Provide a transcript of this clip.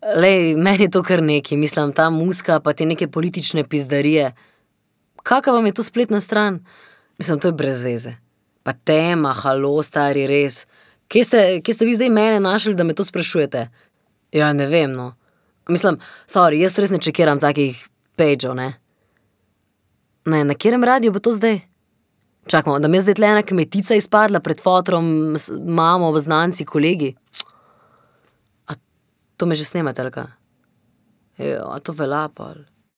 Lej, meni je to kar nekaj, mislim, ta muska pa te neke politične pizdarije. Kaka vam je to spletna stran? Mislim, to je brez veze. Pa tema, halo, stari, res. Kje ste vi zdaj mene našli, da me to sprašujete? Ja, ne vem, no. Mislim, sorry, jaz res ne čekiram takih pageov, ne. Ne, na katerem radiju bo to zdaj? Čakamo, da mi je zdaj tle ena kmetica izpadla pred fotrom, mamo, znanci, kolegi. A to me že snemate, ali kaj? Ja, a to velja, pol.